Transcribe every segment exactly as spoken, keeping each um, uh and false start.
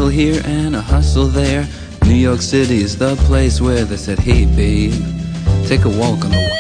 hustle here and a hustle there. New York City is the place where they said, hey babe, take a walk on the wall.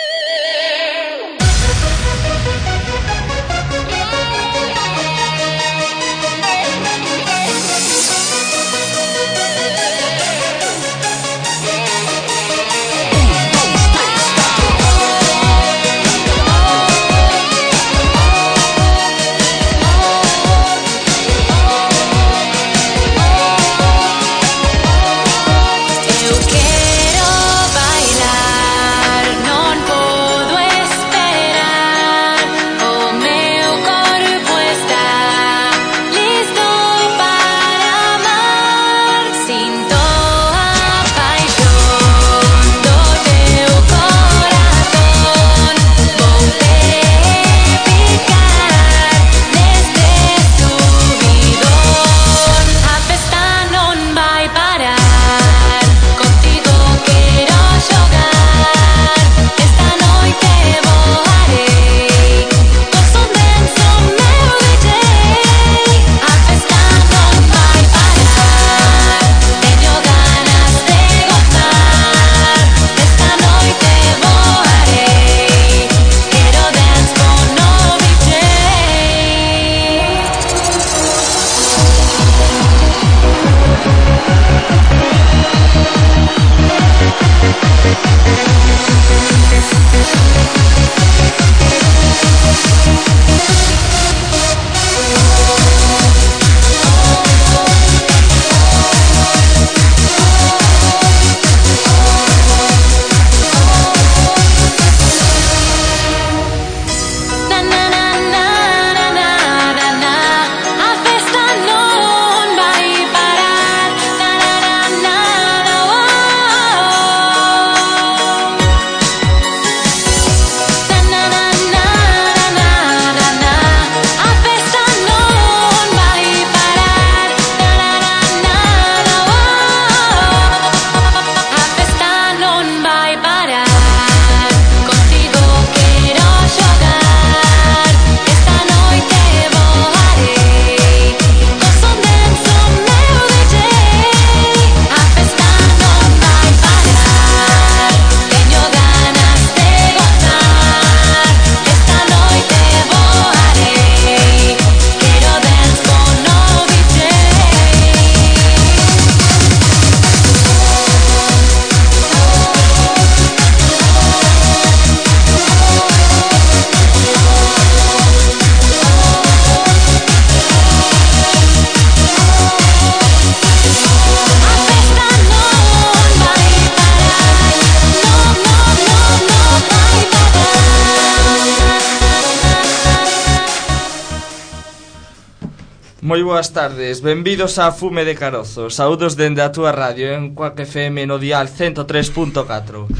Moi boas tardes, benvidos a Fume de Carozo. Saúdos dende a túa radio en Cuac F M no dial ciento tres punto catro.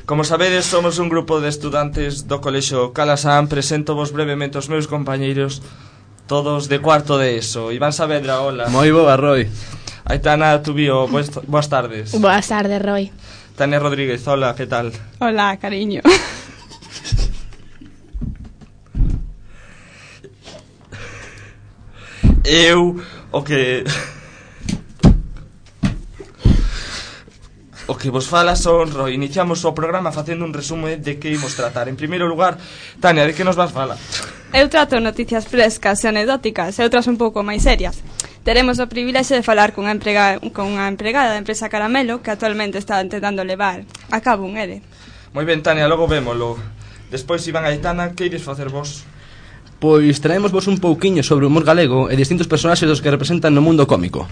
Como sabedes, somos un grupo de estudantes do Colexio Calasan. Presento vos brevemente os meus compañeiros, todos de cuarto de ESO. Iván Saavedra, hola. Moi boa, Roy. Aitana Tubío, boas tardes. Boas tardes, Roy. Tania Rodríguez, hola, que tal? Hola, cariño. Eu, o que... O que vos fala son, Roy. Iniciamos o programa facendo un resume de que imos tratar. En primeiro lugar, Tania, de que nos vas falar? Eu trato noticias frescas e anecdóticas e outras un pouco máis serias. Teremos o privilexio de falar cunha empregada, con unha empregada da empresa Caramelo que actualmente está intentando levar a cabo un E R E. Moi ben, Tania, logo vémolo. Despois, Iván Aitana, que ides facer vos? Pois traemos vos un pouquiño sobre o humor galego e distintos personaxes dos que representan no mundo cómico.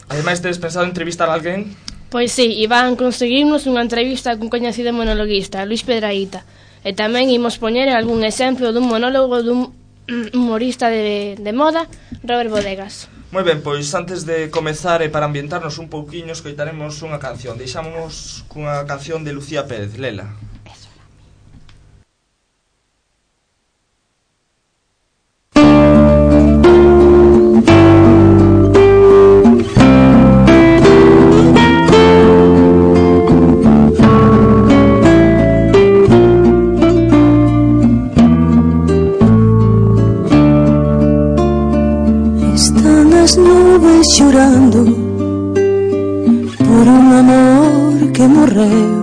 Ademais, tedes pensado entrevistar a alguén? Pois sí, Iván, conseguimos unha entrevista cun coñecido monologuista, Luis Pedraíta. E tamén imos poñer algún exemplo dun monólogo dun humorista de, de moda, Robert Bodegas. Moi ben, pois antes de comezar e para ambientarnos un pouquiño, escoitaremos unha canción. Deixámonos cunha canción de Lucía Pérez, Lela. No nubes chorando por un amor que morreu.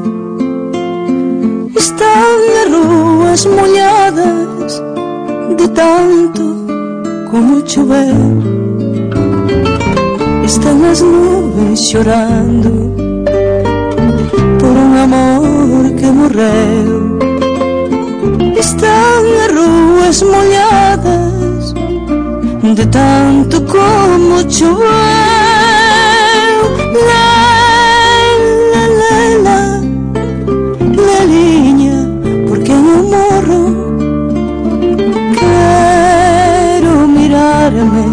Están as ruas molladas de tanto como choveu. Están as nubes chorando por un amor que morreu. Están as ruas molladas de tanto como choveu. La, la, la, la liña, porque no morro. Quero mirarme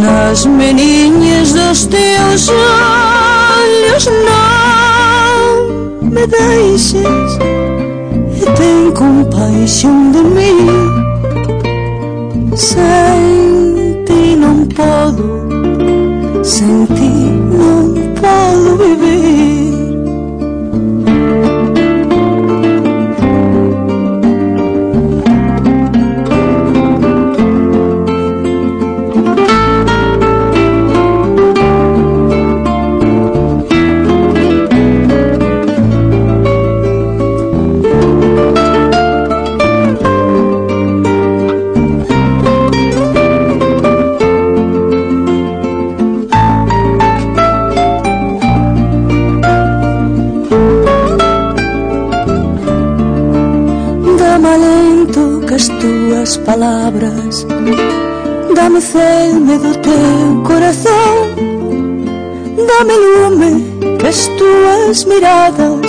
nas meniñas dos teus olhos. Non me deixes e ten compaixón de mí. Sen ti non podo, sen ti non podo vivir. As túas palabras, dame celme do teu corazón, dame lume que as tuas miradas,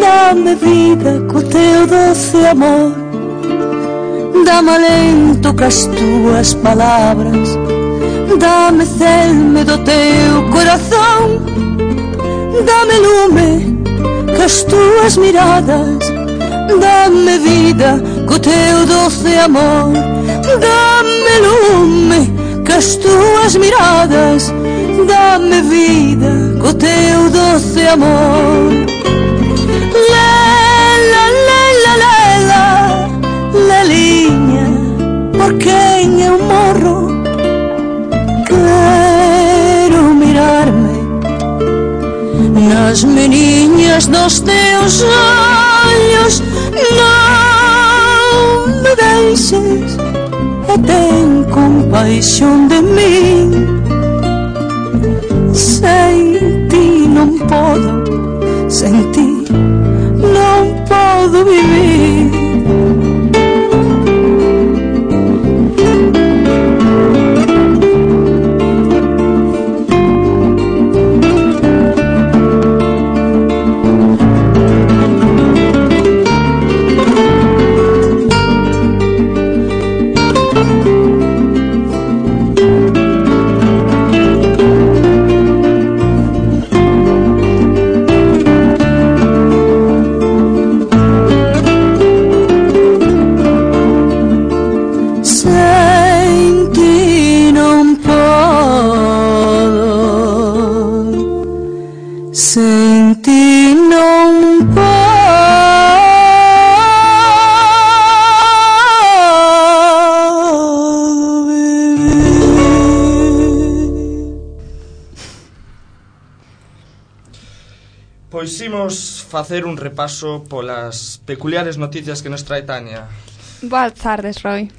dame vida co teu doce amor, dame alento que as tuas palabras, dame celme do teu corazón, dame lume que as tuas miradas, dame vida co teu doce amor, dame lume que as tuas miradas, dame vida co teu doce amor. Lela, lela, lela, leliña, por quen eu morro. Quero mirarme nas meniñas dos teus olhos. Non me deixes e ten compaixón de mí. Sen ti non podo, sen ti non podo vivir. Pois imos facer un repaso polas peculiares noticias que nos trae Tania. Boas tardes, Roy.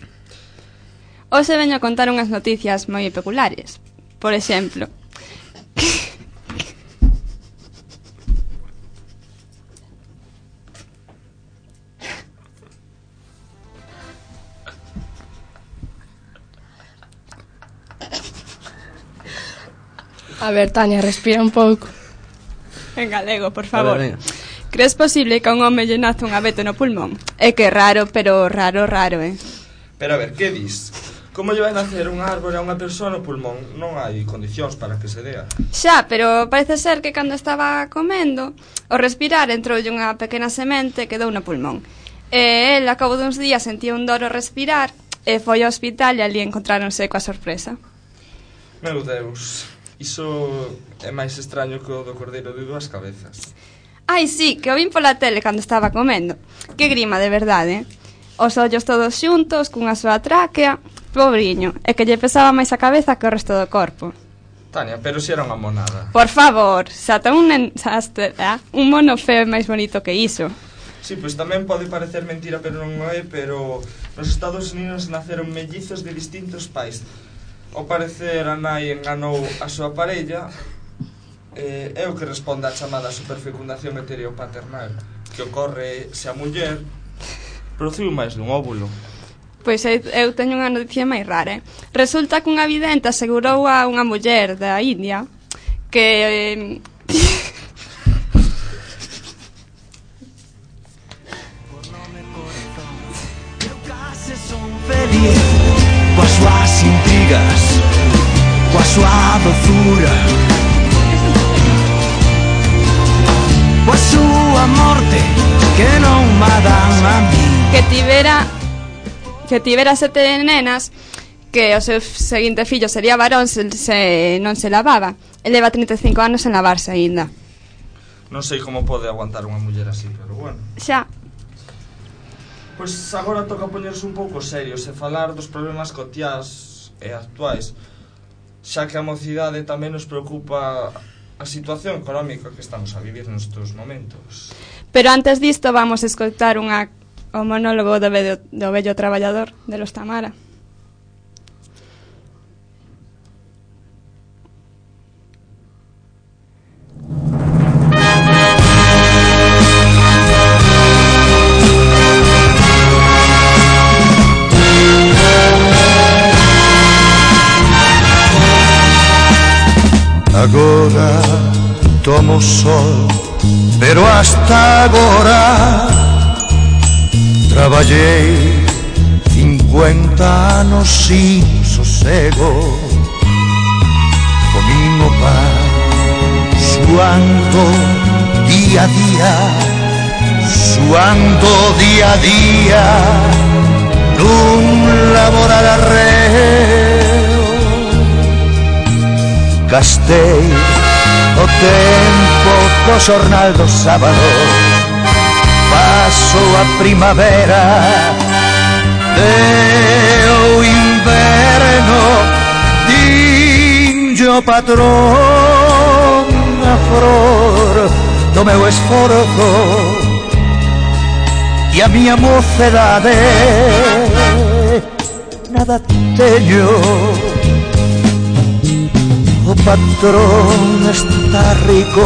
Hoxe veño a contar unhas noticias moi peculiares. Por exemplo, a ver, Tania, respira un pouco. En galego, por favor. A ver, Crees posible que a un home lle naza un abeto no pulmón? É que raro, pero raro, raro, eh? Pero a ver, que dis? Como lle vai nacer un árbore a unha persoa no pulmón? Non hai condicións para que se dea. Xa, pero parece ser que cando estaba comendo, ao respirar entroulle unha pequena semente que quedou no pulmón. E el, a cabo duns días, sentía un dor ao respirar e foi ao hospital e ali encontráronse coa sorpresa. Meu Deus, iso é máis extraño que o do cordeiro de dúas cabezas. Ai, sí, que o vin pola tele cando estaba comendo. Que grima, de verdade. Os ollos todos xuntos, cunha soa tráquea, pobriño, e que lle pesaba máis a cabeza que o resto do corpo. Tania, pero si era unha monada. Por favor, xa ten un, nen, xa este, eh? un mono feo e máis bonito que iso. Sí, pois tamén pode parecer mentira, pero non é, pero nos Estados Unidos naceron mellizos de distintos pais. Ao parecer a nai enganou a súa parella, eh, é o que responde á chamada superfecundación heteropaternal, que ocorre se a muller produciu máis dun óvulo. Pois eu, eu teño unha noticia máis rara, eh? Resulta que unha vidente asegurou a unha muller da India que... Eh, feliz coas súas intrigas, coa súa dozura, coa súa morte que non ma dan a mí. Que tivera que tivera sete nenas, que o seu seguinte fillo sería varón se, se non se lavaba. Ele leva trinta e cinco anos en lavarse aínda. Non sei como pode aguantar unha muller así, pero bueno. Xa. Pois agora toca poñerse un pouco serios e falar dos problemas cotiás e actuais, xa que a mocidade tamén nos preocupa a situación económica que estamos a vivir nestes momentos. Pero antes disto vamos a escoitar unha, o monólogo do vello, do vello traballador de Los Tamara. Agora tomo sol, pero hasta agora traballei cincuenta anos sin sosego. Comín o pan suando día a día, suando día a día nun laboral arreo. Gastei o tempo co xornal do sábado, paso a primavera e o inverno, dinlle o patrón a flor do meu esforzo e a miña mocedade. Nada teño, o patrón está rico,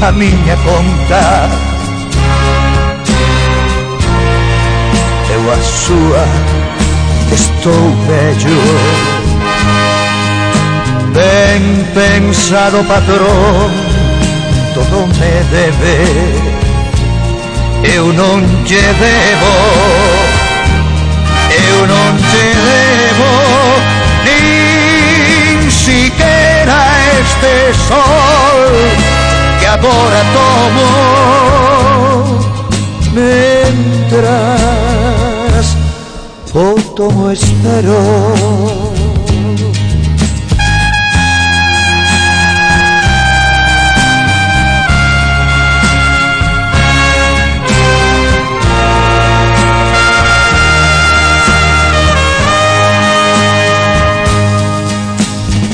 a miña conta, eu a súa estou vello. Ben pensado, patrón, todo me debe, eu non lle debo, eu non lle debo nin siquiera este sol que agora tomo, mentras o tomo espero.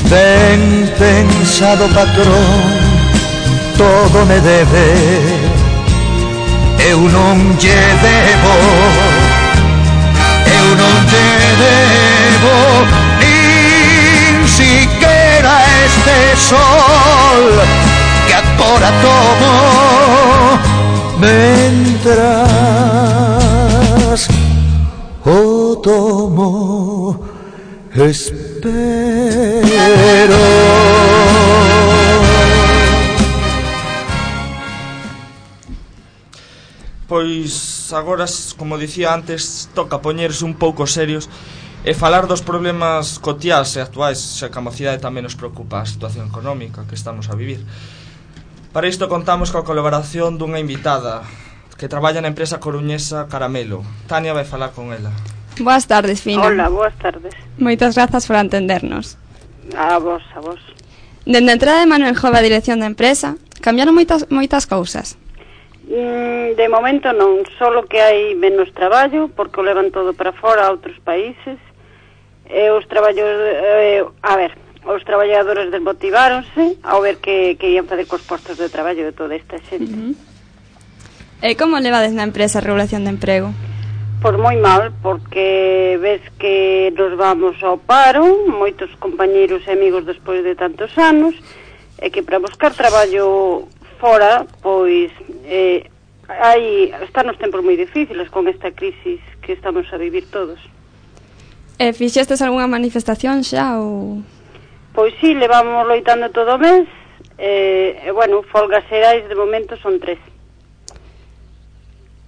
Ben pensado, patrón, todo me debe, eu non lle debo, eu non lle debo nin siquiera este sol que agora tomo, mentras o tomo espero. Pois agora, como dicía antes, toca poñerse un pouco serios e falar dos problemas cotiás e actuais, xa que a mocidade tamén nos preocupa a situación económica que estamos a vivir. Para isto contamos coa colaboración dunha invitada que traballa na empresa coruñesa Caramelo. Tania vai falar con ela. Boas tardes, Fina. Hola, boas tardes. Moitas grazas por atendernos. A vos, a vos. Dende a entrada de Manuel Jove a dirección da empresa, cambiaron moitas moitas cousas. Mm, de momento non, solo que hai menos traballo, porque o levan todo para fora a outros países, E os traballadores, eh, a ver, os traballadores desmotiváronse ao ver que, que ian facer cos postos de traballo de toda esta xente. Uh -huh. E como levades na empresa a regulación de emprego? Pois moi mal, porque ves que nos vamos ao paro, moitos compañeiros e amigos despois de tantos anos, e que para buscar traballo fora, pois eh, hai, están os tempos moi difíciles con esta crisis que estamos a vivir todos. E fixestes algunha manifestación xa ou...? Pois sí, levamos loitando todo o mes, e, e bueno, folgas xerais de momento son tres.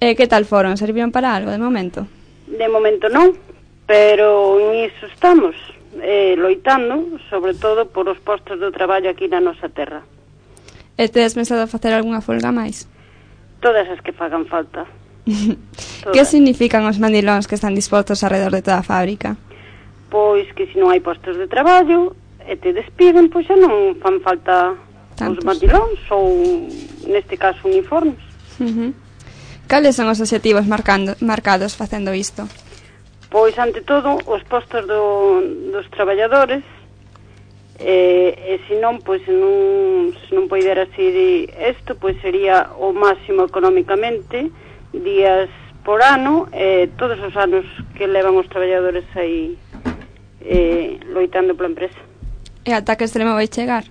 E que tal foron? Serviron para algo de momento? De momento non, pero niso estamos, eh, loitando, sobre todo por os postos de traballo aquí na nosa terra. E tedes pensado facer algunha folga máis? Todas as que fagan falta. Que significan os mandilóns que están dispostos alrededor de toda a fábrica? Pois que se non hai postos de traballo e te despiden, pois xa non fan falta Tantos. Os mandilóns ou, neste caso, uniformes. Uh -huh. Cales son os obxectivos marcando, marcados facendo isto? Pois, ante todo, os postos do, dos traballadores, e, e se non, pois, se non, se non poidera ser isto, pois sería o máximo económicamente, días por ano, e todos os anos que levan os traballadores aí eh, loitando pola empresa. E ata que extremo vai chegar?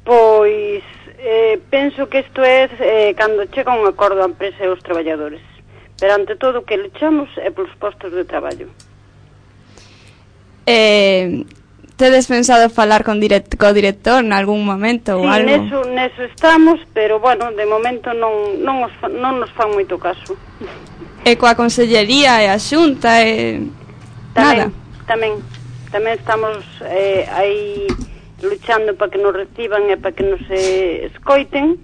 Pois... Eh, penso que isto é eh, cando chega un acordo a empresa e os traballadores, pero ante todo o que luchamos é polos postos de traballo. Eh, tedes pensado falar con direct, co director en algún momento sí, ou algo? Sí, neso, neso estamos, pero bueno, de momento non, non, os, non nos fan moito caso. E coa consellería e a xunta e... Tamén, nada? Tamén, tamén estamos eh, aí... luchando para que nos reciban e para que nos eh, escoiten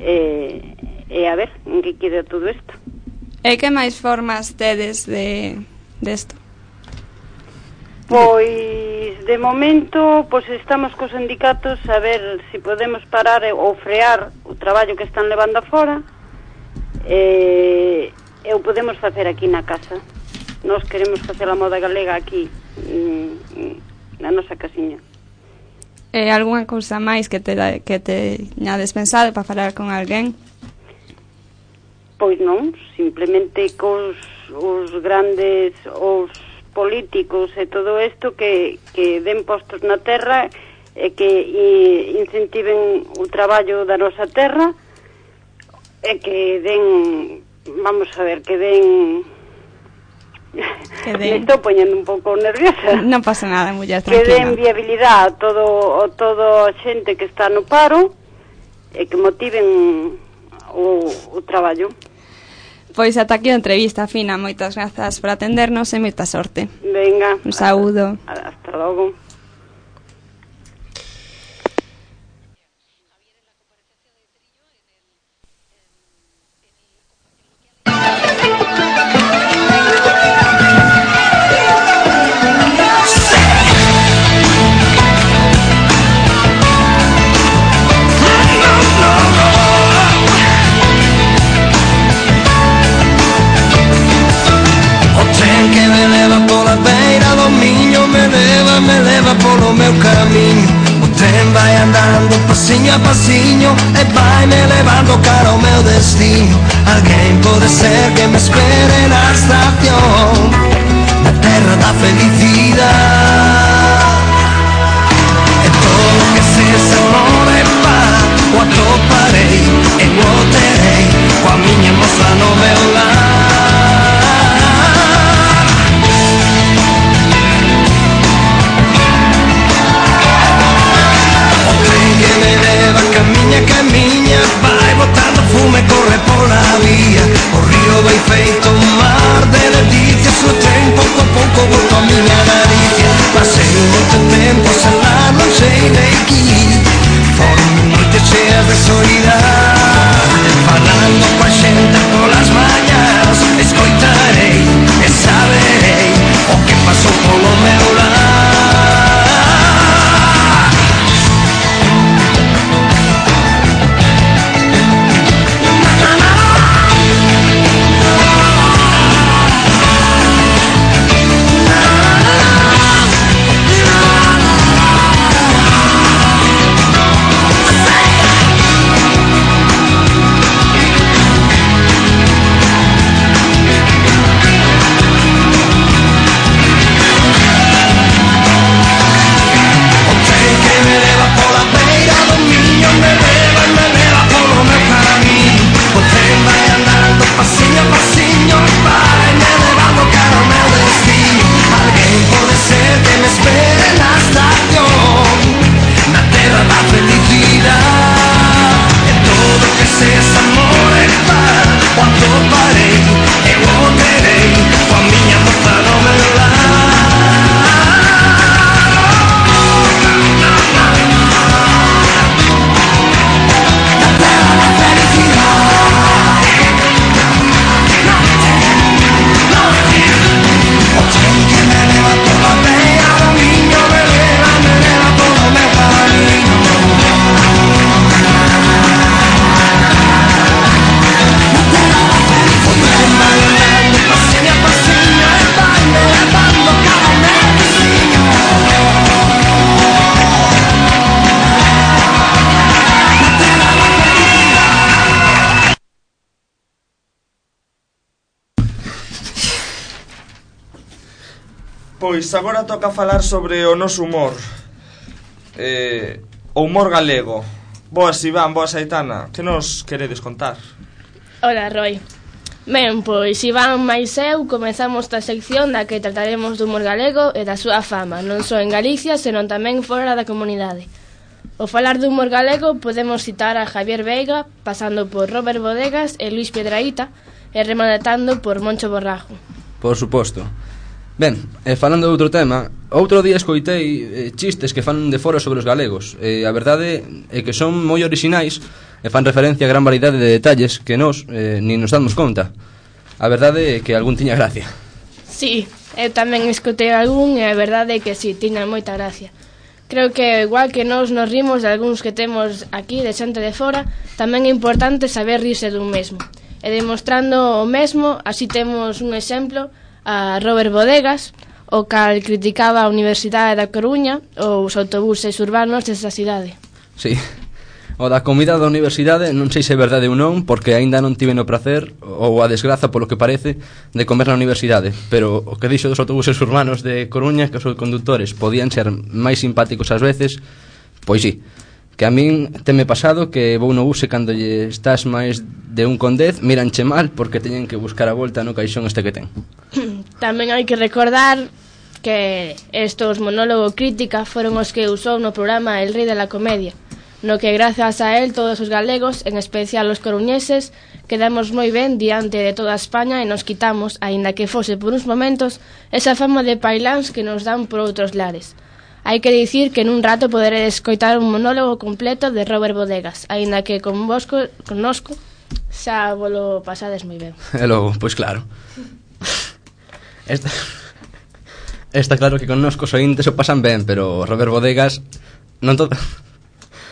e, e a ver en que queda todo isto. E que máis formas tedes de desto? Pois de momento pois estamos cos sindicatos a ver se si podemos parar ou frear o traballo que están levando afora e, e o podemos facer aquí na casa. Nós queremos facer a moda galega aquí na nosa casiña. E eh, algunha cousa máis que te, que te teñades pensado para falar con alguén? Pois non, simplemente cos os grandes, os políticos e todo isto que, que den postos na terra e que e, incentiven o traballo da nosa terra e que den, vamos a ver, que den... Que me estou poñendo un pouco nerviosa. Non pasa nada, muller, tranquila. Que den viabilidade a todo, a todo a xente que está no paro e que motiven o, o traballo. Pois ata aquí a entrevista, Fina. Moitas grazas por atendernos e moita sorte. Venga. Un saúdo. Hasta, hasta logo. Me leva polo meu camiño, o tren vai andando pasiño a pasiño e vai me levando cara ao meu destino. Alguén pode ser que me espere na estación, na terra da felicidade. E todo que se se move va, o atoparei e o terei, coa miña moza no meu lar. Camiña, camiña, vai botando fume, corre pola vía. O río vai feito un mar de delicias. O tren pouco a pouco volta a miña naricia. pois agora toca falar sobre o noso humor. Eh, o humor galego. Boas, Iván, boas, Aitana. Que nos queredes contar? Hola, Roy. Ben, pois Iván máis eu comezamos esta sección da que trataremos do humor galego e da súa fama, non só en Galicia, senón tamén fora da comunidade. Ao falar do humor galego podemos citar a Javier Veiga, pasando por Robert Bodegas e Luis Piedrahita, e rematando por Moncho Borrajo. Por suposto. Ben, e falando de outro tema, outro día escoitei eh, chistes que fan de fora sobre os galegos, e a verdade é que son moi orixinais e fan referencia a gran variedade de detalles que nós eh, ni nos damos conta. A verdade é que algún tiña gracia. Sí, eu tamén escutei algún e a verdade é que sí, tiña moita gracia. Creo que igual que nós nos rimos de algúns que temos aquí de xente de fora, tamén é importante saber rirse dun mesmo. E demostrando o mesmo, así temos un exemplo a Robert Bodegas, o cal criticaba a Universidade da Coruña ou os autobuses urbanos desa cidade. Sí. O da comida da universidade non sei se é verdade ou non, porque aínda non tive no prazer ou a desgraza, polo que parece, de comer na universidade, pero o que dixo dos autobuses urbanos de Coruña, que os condutores podían ser máis simpáticos ás veces, pois sí, que a min teme pasado que vou no bus e cando lle estás máis de un con dez miranche mal porque teñen que buscar a volta no caixón este que ten. Tamén hai que recordar que estos monólogo crítica foron os que usou no programa El Rei de la Comedia, no que grazas a él todos os galegos, en especial os coruñeses, quedamos moi ben diante de toda España e nos quitamos, aínda que fose por uns momentos, esa fama de pailáns que nos dan por outros lares. Hai que dicir que nun rato poderedes escoitar un monólogo completo de Robert Bodegas, aínda que con vosco, connosco xa volo pasades moi ben. E logo, pois claro. Esta, está claro que connosco os ointes o pasan ben, pero Robert Bodegas non todo...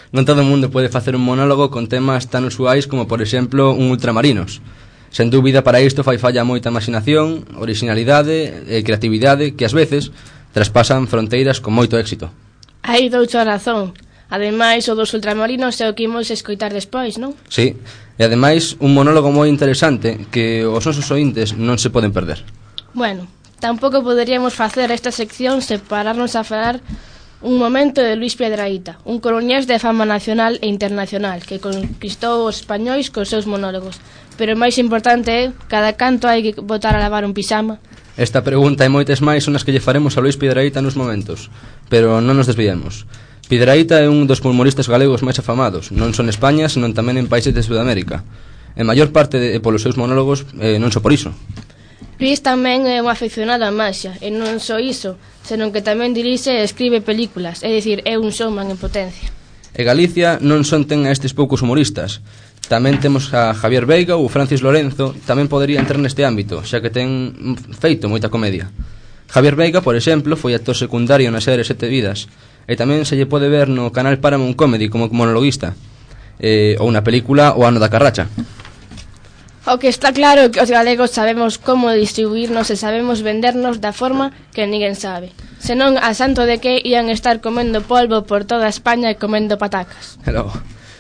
Non todo o mundo pode facer un monólogo con temas tan usuais como, por exemplo, un Ultramarinos. Sen dúbida, para isto fai falla moita imaginación, originalidade e creatividade que, ás veces, traspasan fronteiras con moito éxito. Hai doucha razón. Ademais, o dos Ultramarinos é o que imos escoitar despois, non? Sí, e ademais, un monólogo moi interesante que os nosos ointes non se poden perder. Bueno, tampouco poderíamos facer esta sección sen pararnos a falar un momento de Luis Piedrahita, un coruñés de fama nacional e internacional que conquistou os españois cos seus monólogos. Pero o máis importante é, cada canto hai que botar a lavar un pixama? Esta pregunta e moitas máis son as que lle faremos a Luis Piedrahita nos momentos, pero non nos desviemos. Piedrahita é un dos humoristas galegos máis afamados, non só en España, senón tamén en países de Sudamérica. En maior parte de, polos seus monólogos, eh, non só por iso. Luis tamén é un afeccionado á maxia, e non só iso, senón que tamén dirixe e escribe películas, é dicir, é un showman en potencia. E Galicia non son ten a estes poucos humoristas. Tamén temos a Javier Veiga ou Francis Lorenzo, tamén podería entrar neste ámbito, xa que ten feito moita comedia. Javier Veiga, por exemplo, foi actor secundario na serie Sete Vidas, e tamén se lle pode ver no canal Paramount Comedy como monologuista, eh, ou na película O ano da carracha. O que está claro é que os galegos sabemos como distribuirnos e sabemos vendernos da forma que ninguén sabe. Senón, a santo de que ian estar comendo polvo por toda España e comendo patacas. Pero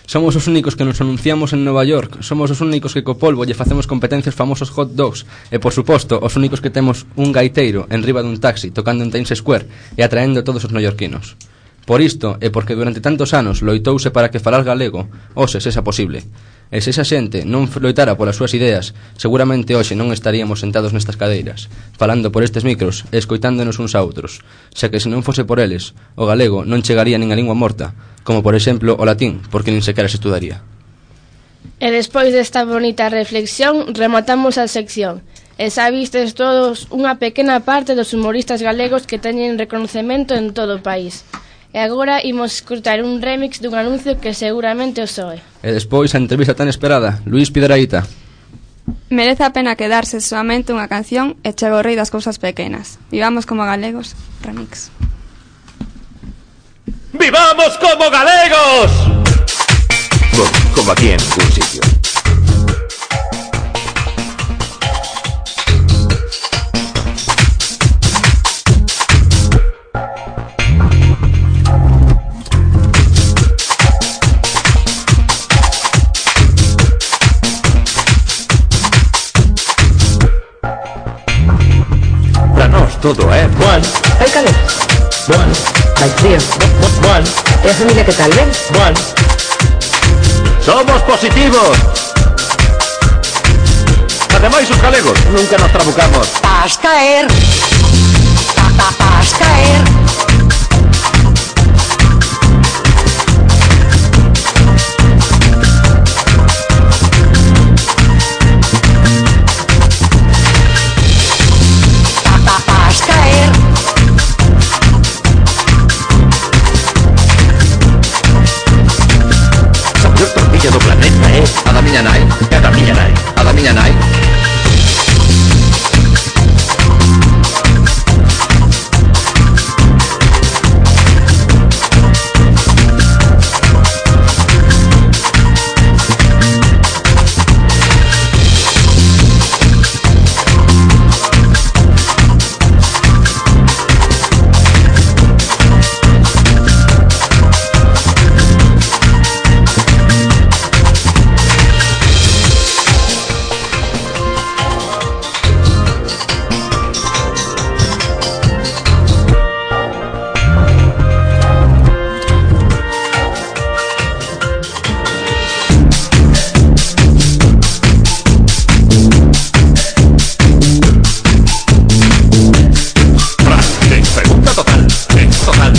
somos os únicos que nos anunciamos en Nova York, somos os únicos que co polvo lle facemos competencias famosos hot dogs, e por suposto, os únicos que temos un gaiteiro en riba dun taxi tocando en Times Square e atraendo a todos os neoyorquinos. Por isto, e porque durante tantos anos loitouse para que falar galego, hoxe sexa posible. E se esa xente non loitara polas súas ideas, seguramente hoxe non estaríamos sentados nestas cadeiras, falando por estes micros e escoitándonos uns a outros, xa que se non fose por eles, o galego non chegaría nin a lingua morta, como por exemplo o latín, porque nin sequera se estudaría. E despois desta bonita reflexión, rematamos a sección. E xa vistes todos unha pequena parte dos humoristas galegos que teñen reconocemento en todo o país. E agora imos escutar un remix dun anuncio que seguramente os soe. E despois a entrevista tan esperada, Luis Piedrahita. Merece a pena quedarse solamente unha canción e chega o rei das cousas pequenas. Vivamos como galegos, remix. ¡Vivamos como galegos! Bueno, como aquí en ningún sitio. Todo é bueno. escaleras? Bueno, Vai frío. bueno, E a familia que tal, ben? bueno. Somos positivos. Ademais, os galegos nunca nos trabucamos. Vas caer. Pa, pa, vas caer. Pa, pa, vas caer. A mellor tortilla do planeta, eh? A da miña nai. É da miña nai. A da miña nai. Pregunta total. Eh, total.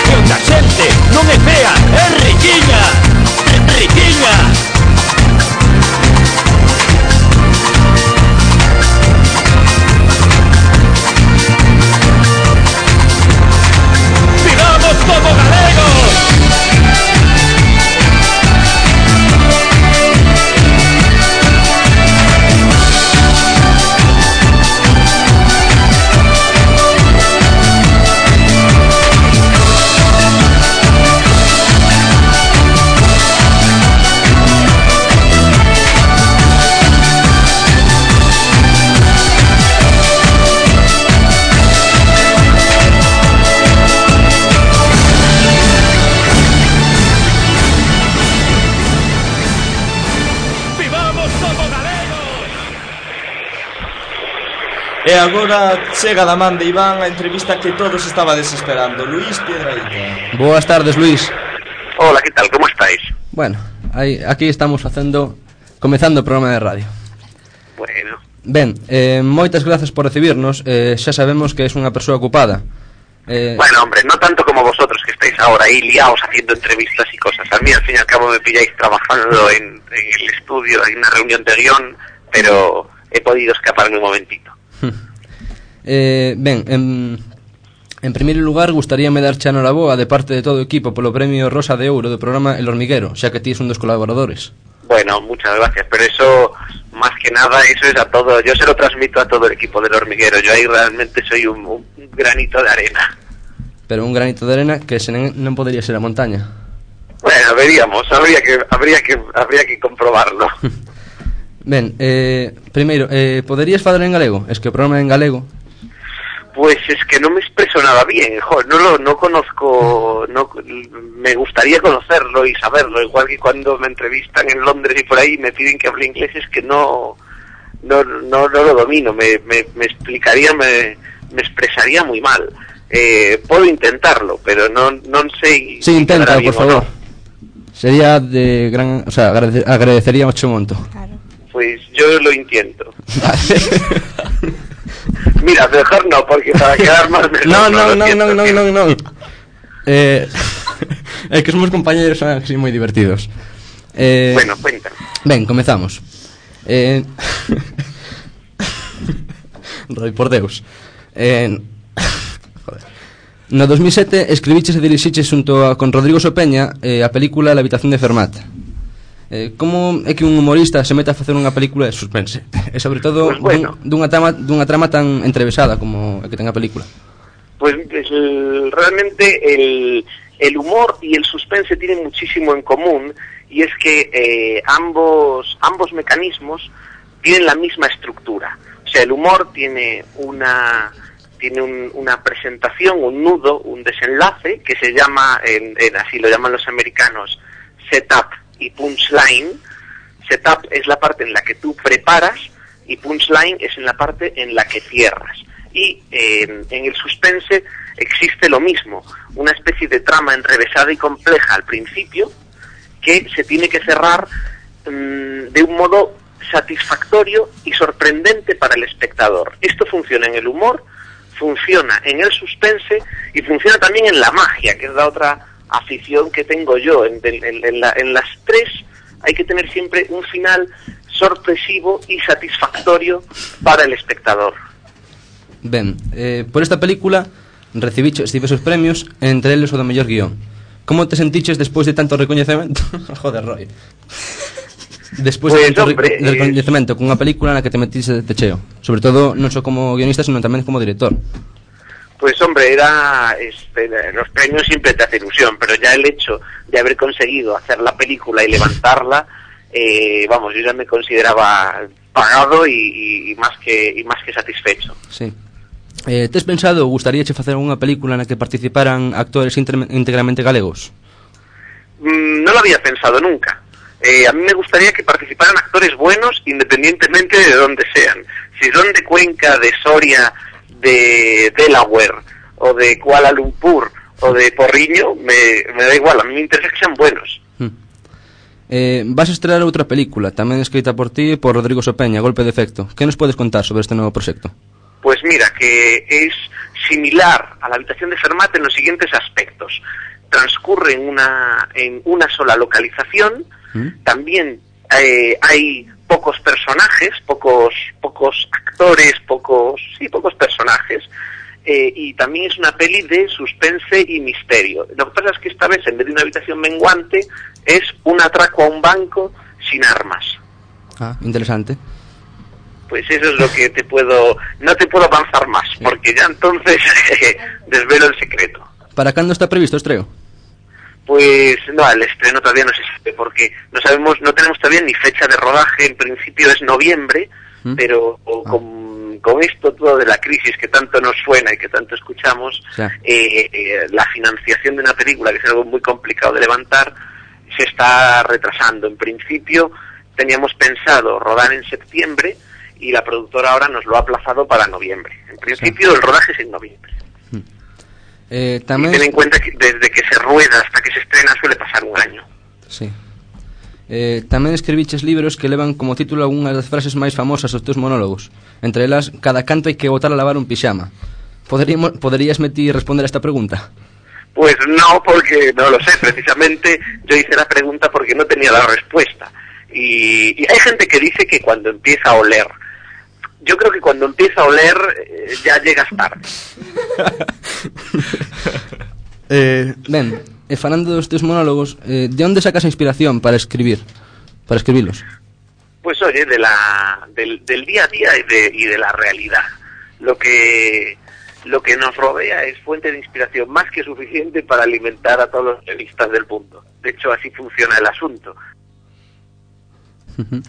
Que onda xente non é fea, é riquiña. Riquiña. ¡Vivamos como galegos! ¡Vivamos como galegos! E agora chega da man de Iván a entrevista que todos estabades esperando. Luís Piedrahita. Boas tardes, Luís. Hola, ¿qué tal? ¿Cómo estáis? Bueno, aí, aquí estamos facendo comezando o programa de radio. Bueno, Ben, eh, moitas grazas por recibirnos. eh, Xa sabemos que es unha persoa ocupada. eh, bueno, hombre, no tanto como vosotros que estáis ahora ahí liados haciendo entrevistas y cosas. A mí al fin y al cabo me pilláis trabajando en, en el estudio, en una reunión de guión, pero he podido escaparme un momentito. eh, Ben, en, en primeiro lugar gustaríame darche a noraboa de parte de todo o equipo polo premio Rosa de Ouro do programa El Hormiguero, xa que ti es un dos colaboradores. Bueno, muchas gracias, pero eso, más que nada, eso es a todo, yo se lo transmito a todo el equipo del Hormiguero, yo ahí realmente soy un, un granito de arena. Pero un granito de arena que se non, non podería ser a montaña. Bueno, veríamos, habría que, habría que, habría que comprobarlo. Ben, eh, primeiro, eh, poderías falar en galego? Es que o programa é en galego. Pues es que no me expreso nada bien, jo, no lo no conozco, no me gustaría conocerlo y saberlo, igual que cuando me entrevistan en Londres y por ahí me piden que hable inglés, es que no no no, no lo domino, me, me, me explicaría, me, me expresaría muy mal. Eh, puedo intentarlo, pero no no sé. Sí, intenta, por favor. No. Sería de gran, o sea, agrade, agradecería mucho monto. Claro. Pues yo lo intento. Mira, mejor no, porque para quedar más mejor. No, no, no, no, no, no, no, no. Eh, es que somos compañeros, son así muy divertidos. Eh, bueno, cuéntame. Ben, comezamos. Eh, Roy, por Deus. Eh, joder. No dos mil sete escribiches e dirixiches xunto a, con Rodrigo Sopeña eh, a película La habitación de Fermat. Eh, como é que un humorista se mete a facer unha película de suspense? E sobre todo pues bueno. dun, dunha, trama, dunha trama tan entrevesada como a que ten a película. Pues el, realmente el, el humor y el suspense tienen muchísimo en común, y es que eh, ambos, ambos mecanismos tienen la misma estructura. O sea, el humor tiene una, tiene un, una presentación, un nudo, un desenlace que se llama, en, en, así lo llaman los americanos, setup y punchline. Setup es la parte en la que tú preparas y punchline es en la parte en la que cierras. Y eh, en el suspense existe lo mismo, una especie de trama enrevesada y compleja al principio que se tiene que cerrar mmm, de un modo satisfactorio y sorprendente para el espectador. Esto funciona en el humor, funciona en el suspense y funciona también en la magia, que es la otra afición que tengo yo. En, en, en, la, en las tres hay que tener siempre un final sorpresivo y satisfactorio para el espectador. Ben, eh, por esta película recibiches diversos premios, entre eles o do mellor guión. Como te sentiches despois de tanto recoñecemento? Joder, Roy. Despois pues, de tanto hombre, re recoñecemento eh... cunha película na que te metiste de cheo, sobre todo non só como guionista, sino tamén como director. Pues hombre, era este, los premios siempre te hace ilusión, pero ya el hecho de haber conseguido hacer la película y levantarla, eh, vamos, yo ya me consideraba pagado y, y, y más que y más que satisfecho. Sí. Eh, tes pensado, gustaríache facer unha película na que participaran actores íntegramente galegos? Mm, no lo había pensado nunca. Eh, a mí me gustaría que participaran actores buenos independientemente de donde sean. Si son de Cuenca, de Soria, de Delaware o de Kuala Lumpur o de Porriño, me, me da igual, a mí me interesa que sean buenos. Hmm. Eh, vas a estrear outra película, tamén escrita por ti e por Rodrigo Sopeña, Golpe de Efecto. Que nos podes contar sobre este novo proxecto? Pues mira, que es similar a La habitación de Fermat en los siguientes aspectos. Transcurre en una, en una sola localización, ¿Mm? También eh, hay pocos personajes, pocos, pocos actores, pocos, sí, pocos personajes, eh, y también es una peli de suspense y misterio. Lo que pasa es que esta vez, en vez de una habitación menguante, es un atraco a un banco sin armas. Ah, interesante. Pues eso es lo que te puedo... No te puedo avanzar más, sí. Porque ya entonces desvelo el secreto. ¿Para cuándo está previsto estreno? Pues no, el estreno todavía no se sabe, porque no sabemos, no tenemos todavía ni fecha de rodaje. En principio es noviembre, ¿Mm? pero ah. con, con esto todo de la crisis que tanto nos suena y que tanto escuchamos, sí. eh, eh, la financiación de una película, que es algo muy complicado de levantar, se está retrasando. En principio teníamos pensado rodar en septiembre, y la productora ahora nos lo ha aplazado para noviembre. En principio sí. El rodaje es en noviembre. Eh, tamén... Y ten en cuenta que desde que se rueda hasta que se estrena suele pasar un año. Sí. Eh, tamén escribiches libros que levan como título algunhas das frases máis famosas dos teus monólogos. Entre elas, cada canto hai que botar a lavar un pixama. Poderíamos, poderías ti responder a esta pregunta? Pues no, porque no lo sé. Precisamente yo hice la pregunta porque no tenía la respuesta. Y, y hay gente que dice que cuando empieza a oler. Yo creo que cuando empieza a oler eh, ya llegas tarde. eh, ben, e falando dos teus monólogos, eh, de onde sacas a inspiración para escribir, para escribirlos? Pues oye, de la, del, del día a día y de, y de la realidad. Lo que, lo que nos rodea es fuente de inspiración más que suficiente para alimentar a todos los periodistas del mundo. De hecho, así funciona el asunto. Uh-huh.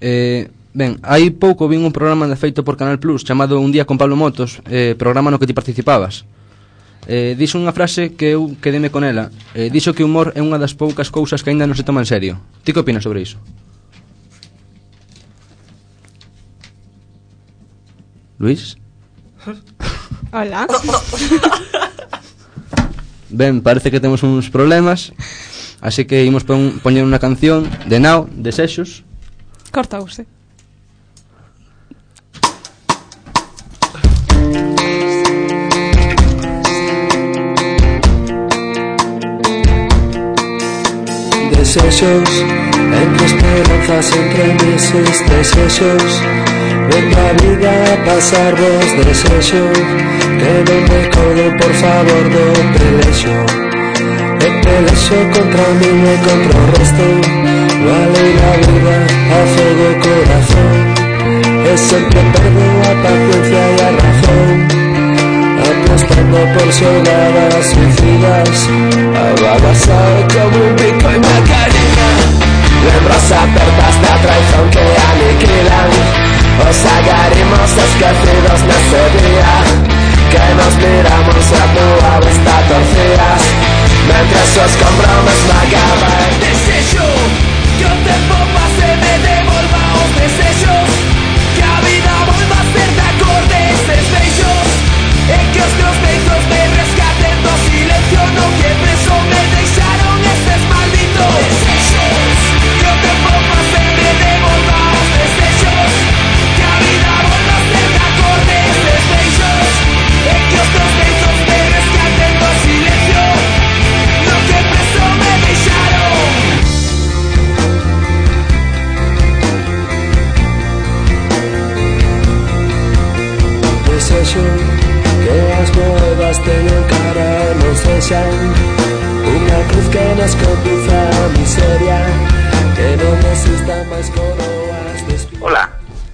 Eh... Ben, hai pouco vin un programa de feito por Canal Plus chamado Un día con Pablo Motos, eh, programa no que ti participabas. Eh, dixo unha frase que eu quedeme con ela. Eh, dixo que o humor é unha das poucas cousas que aínda non se toma en serio. Ti que opinas sobre iso? Luís? Hola. Ben, parece que temos uns problemas, así que imos pon, poñer unha canción de Now, de Sexos. Cortause. Desexos, entre esperanzas, entre meses, desexos. Venga a vida a pasar vos desexos. Que non me codo, por favor, do pelexo. E pelexo contra mí e contra o resto. Vale la vida, a fuego corazón. E sempre perdo a paciencia e a razón. Apostando por xogadas suicidas. A vaga sabe como un pico en Macarena. Lembras apertas da traición que aniquilan. Os agarrimos esquecidos nese día. que nos miramos e a túa vista torcida mentres os compromes me acaban. Desexo que o tempo pase e me devolva os desexos, que a vida volva a ser de cor destes beijos, e que os teus beijos me rescaten do silencio no que preso me deixaron estes malditos desexos. Que o tempo pase e me devolva os desexos, que a vida volva a ser de cor destes beijos, e que os teus beijos me rescaten do silencio no que preso me deixaron. Desexo que as moedas teñan cara e non sexan unha cruz que nos conduza a miseria, que non exista máis coroas de espina. Hola.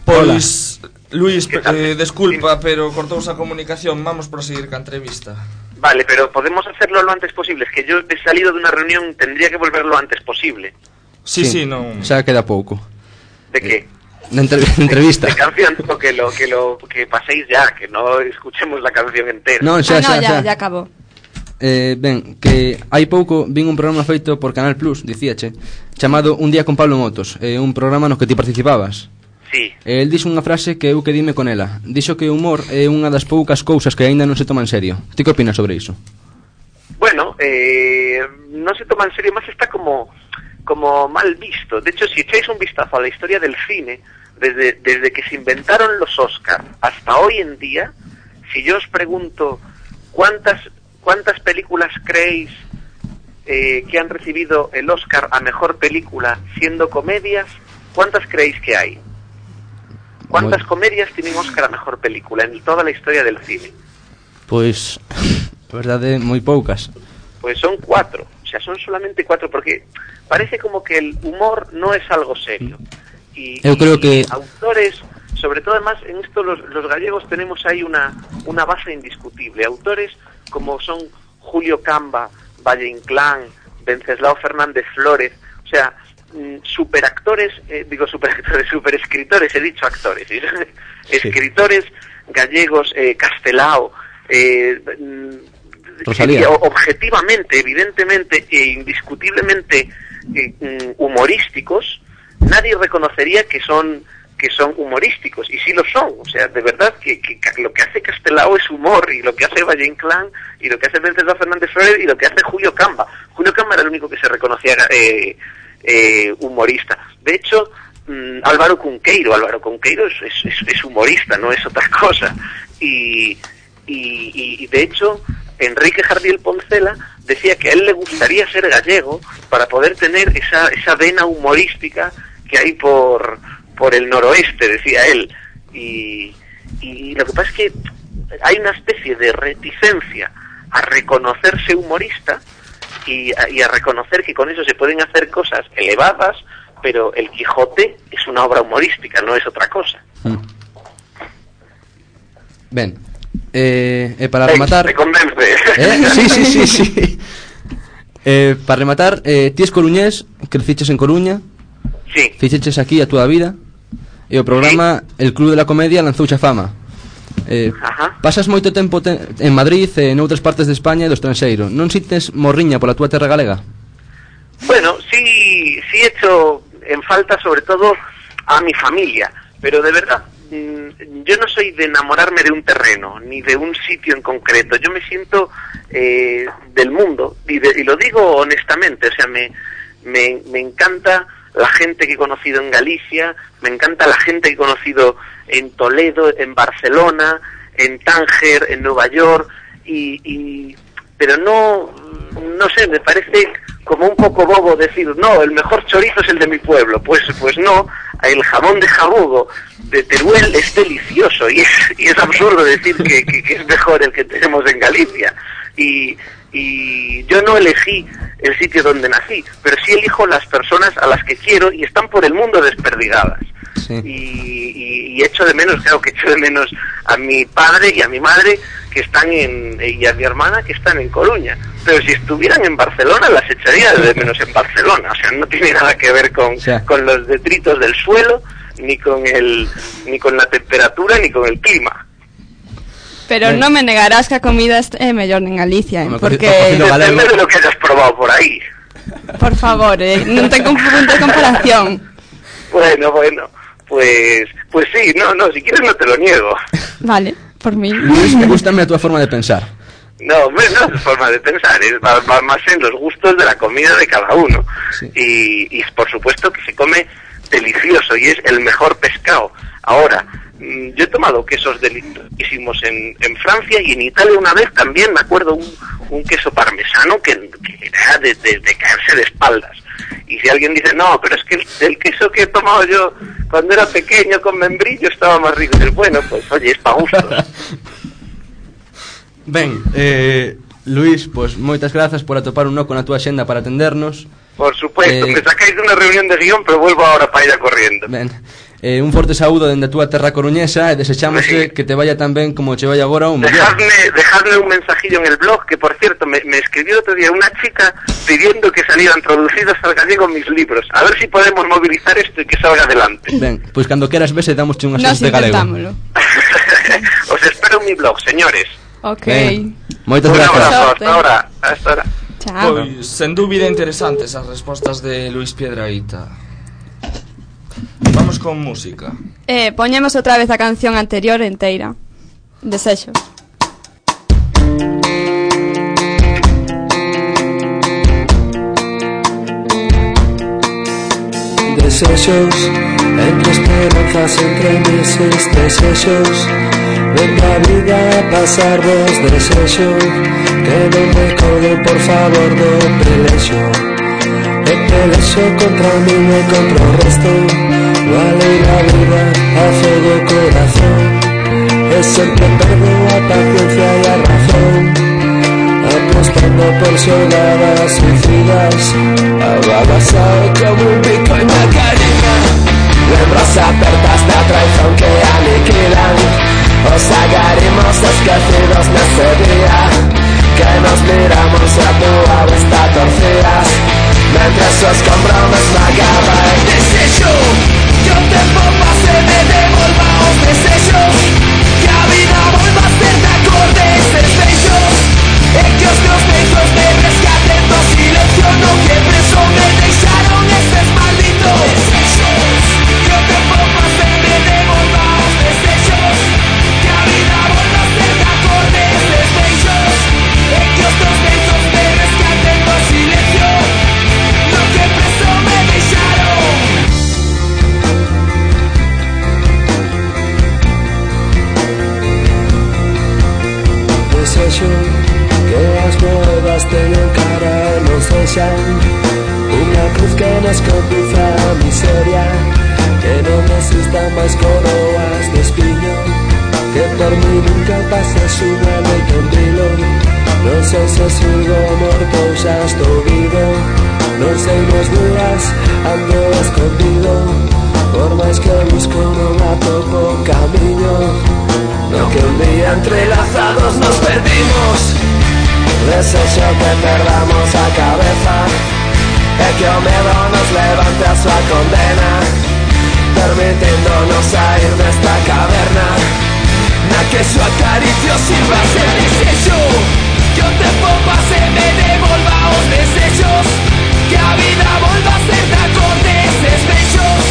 Pois, Luis, eh, desculpa, pero cortouse a comunicación. Vamos proseguir ca entrevista. Vale, pero podemos hacerlo lo antes posible. Es que yo he salido de una reunión, tendría que volver lo antes posible. Sí, sí, non... Xa queda pouco. ¿De qué? De, entre, de entrevista. De, de canción, o que lo que lo que paséis ya, que no escuchemos la canción entera. No, xa, ah, no, xa, ya, xa. ya acabó. Eh, ben, que hai pouco vin un programa feito por Canal Plus, dicíache, chamado Un día con Pablo Motos, eh, un programa no que ti participabas. Sí. El dixo unha frase que eu que dime con ela. Dixo que o humor é unha das poucas cousas que aínda non se toma en serio. Ti que opinas sobre iso? Bueno, eh, no se toma en serio, más está como como mal visto. De hecho, si echáis un vistazo a la historia del cine, desde, desde que se inventaron los Oscar hasta hoy en día, si yo os pregunto cuántas cuántas películas creéis eh, que han recibido el Oscar a mejor película siendo comedias, ¿cuántas creéis que hay? ¿Cuántas bueno. comedias tienen Oscar a mejor película en toda la historia del cine? Pois, a verdade, moi poucas. Pues son cuatro, o sea, son solamente cuatro, porque parece como que el humor no es algo serio. Y, eu creo y que autores, sobre todo además en esto los, los gallegos tenemos ahí una, una base indiscutible. Autores como son Julio Camba, Valle Inclán, Venceslao Fernández Flórez, o sea, superactores, eh, digo superactores, superescritores, he dicho actores, ¿sí? Escritores gallegos, eh, Castelao, eh, eh, objetivamente, evidentemente e indiscutiblemente eh, humorísticos, nadie reconocería que son que son humorísticos, y sí lo son, o sea, de verdad que, que, que lo que hace Castelao es humor, y lo que hace Valle Inclán, y lo que hace Venceslao Fernández Flórez, y lo que hace Julio Camba. Julio Camba era el único que se reconocía eh, eh, humorista. De hecho, mmm, Álvaro Cunqueiro, Álvaro Cunqueiro es, es, es humorista, no es otra cosa. Y, y, y de hecho, Enrique Jardiel Poncela decía que a él le gustaría ser gallego para poder tener esa, esa vena humorística que hay por... por el noroeste, decía él, y, y lo que pasa es que hay una especie de reticencia a reconocerse humorista y a, y a reconocer que con eso se pueden hacer cosas elevadas, pero el Quijote es una obra humorística, no es otra cosa. Mm. Ben, eh, eh, para rematar... Te convence. ¿Eh? Sí, sí, sí, sí. Eh, para rematar, eh, ti es coruñés, creciches en Coruña, sí. Fixeches aquí a túa vida, e o programa sí. El Club de la Comedia lanzouche a fama. Eh, pasas moito tempo te en Madrid e en outras partes de España e do estranxeiro. Non sintes morriña pola túa terra galega? Bueno, sí, sí he hecho en falta sobre todo a mi familia, pero de verdad, mmm, yo no soy de enamorarme de un terreno, ni de un sitio en concreto. Yo me siento eh, del mundo, y, de, y lo digo honestamente, o sea, me, me, me encanta la gente que he conocido en Galicia, me encanta la gente que he conocido en Toledo, en Barcelona, en Tánger, en Nueva York, y, y pero no, no sé, me parece como un poco bobo decir, no, el mejor chorizo es el de mi pueblo. Pues pues no, el jamón de jabugo de Teruel es delicioso, y es, y es absurdo decir que, que, que es mejor el que tenemos en Galicia. Y, y yo no elegí el sitio donde nací, pero sí elijo las personas a las que quiero y están por el mundo desperdigadas. Sí. Y, y, y echo de menos, claro que echo de menos a mi padre y a mi madre que están en, y a mi hermana que están en Coruña. Pero si estuvieran en Barcelona las echaría de menos en Barcelona. O sea, no tiene nada que ver con, sí. con los detritos del suelo, ni con el, ni con la temperatura, ni con el clima. Pero Ben, non me negarás que a comida é mellor en Galicia, eh? Home, Porque, cocido galego. Depende de lo que hayas probado por ahí. por favor, eh, non ten punto de comparación. Bueno, bueno, pues pues sí, no, no, si quieres no te lo niego. Vale, por mí. Luis, me gustame a túa forma de pensar. No, hombre, no es forma de pensar, es va, va más en los gustos de la comida de cada uno. Sí. Y, y por supuesto que se come delicioso y es el mejor pescado. Ahora, mmm, yo he tomado quesos deliciosísimos en, en Francia y en Italia una vez también, me acuerdo, un, un queso parmesano que, que era de, de, de caerse de espaldas. Y si alguien dice, no, pero es que el, el queso que he tomado yo cuando era pequeño con membrillo estaba más rico, dices, bueno, pues oye, es pa' gustos. Ben, eh, Luis, pois moitas grazas por atopar un oco na túa xenda para atendernos. Por supuesto, Eh, me sacáis de una reunión de guión, pero vuelvo ahora para ir a corriendo. Ben, eh, un forte saúdo dende a túa terra coruñesa e desexamos Sí. que te vaya tan ben como che vai agora un mellor. Dejadme, dejadme un mensajillo en el blog, que por cierto, me, me escribió otro día una chica pidiendo que salieran traducidos al gallego mis libros. A ver si podemos movilizar esto y que salga adelante. Ben, pois cando queras vese damosche unhas Nos clases de galego. intentámoslo. Os espero en mi blog, señores. Ok. Ben, moitas Un grazas. abrazo, Sorte. hasta ahora. Hasta ahora. Chao. Pois, sen dúbida interesantes as respostas de Luis Piedrahita. Vamos con música. Eh, poñemos outra vez a canción anterior enteira. Desexos. Desexos, entre esperanzas, entre meses, desexos. Venga a vida a pasar vos desexo, que non me colguen por favor do pelexo. E pelexo contra mí e contra o resto, vale la vida, a fuego corazón. E sempre perdo a paciencia e a razón, apostando por xogadas suicidas, ababasado como un bico en la carina. Lembras apertas da traición que aniquilan os agarimos esquecidos nese día, que nos miramos e a tua vista torcida, mentres o escombro me esmagaba el desexo. Que o tempo pase e me devolva os desexos, que a vida volva a ser de acorde eses beijos, e que os meus beijos me rescaten do silencio no que preso me deixaron estes malditos desexos. Que o tempo pase e me devolva os desexos, que a vida volva a ser de acorde eses beijos, e que os teus beijos me rescaten do silencio no que preso me deixaron. Desexo que as moedas teñan cara e non sexan unha cruz que nos conduza a miseria, que non existan máis coroas de espiño, que por mí nunca pases unha noite en vilo. Non sei se sigo morto ou xa estou vivo, non sei nos días ando escondido, por máis que busco non atopo camiño, no que un día entrelazados nos perdimos. Desexo que perdamos a cabeza e que o medo nos levante a súa condena, permitiéndonos sair desta caverna na que súa acaricio sirva ser desexo. Que o tempo pase e me devolva os desexos, que a vida volva a ser de acorde eses beijos,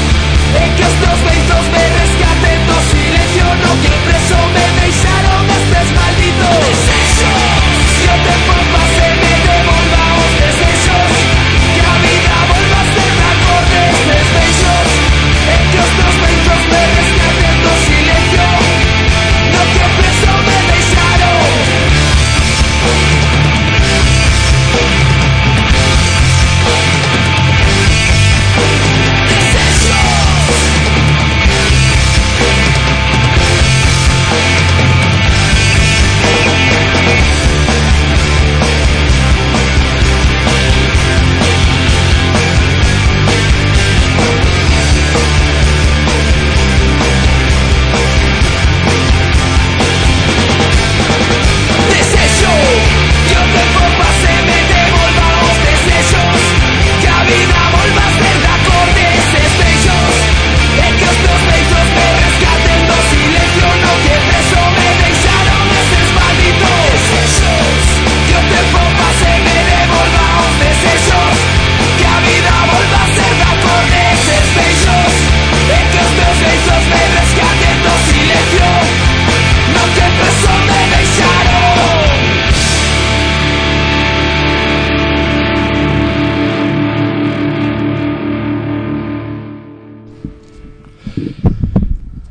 e que os teus beijos me rescaten do silencio no que preso me deixaron estes malditos desexos. Que o tempo pase e me devolva os desexos, que a vida volva a ser de acorde estes beijos, e que os teus beijos me rescaten do silencio no que preso me deixaron.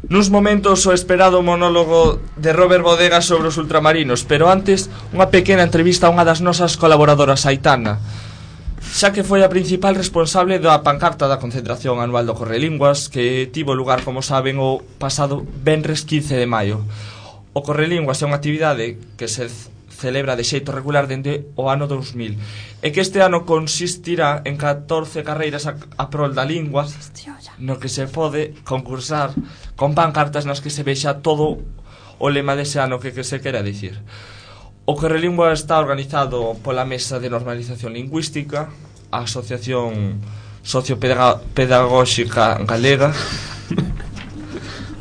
Nuns momentos o esperado monólogo de Robert Bodega sobre os ultramarinos, pero antes unha pequena entrevista a unha das nosas colaboradoras, Aitana, xa que foi a principal responsable da pancarta da concentración anual do Correlinguas, que tivo lugar, como saben, o pasado venres quince de maio. O Correlinguas é unha actividade que se celebra de xeito regular dende o ano dous mil, e que este ano consistirá en catorce carreiras a, a prol da lingua, no que se pode concursar con pancartas nas que se vexa todo o lema dese ano que, que se quera dicir. O Correlingua está organizado pola Mesa de Normalización Lingüística, a Asociación Sociopedagóxica Galega,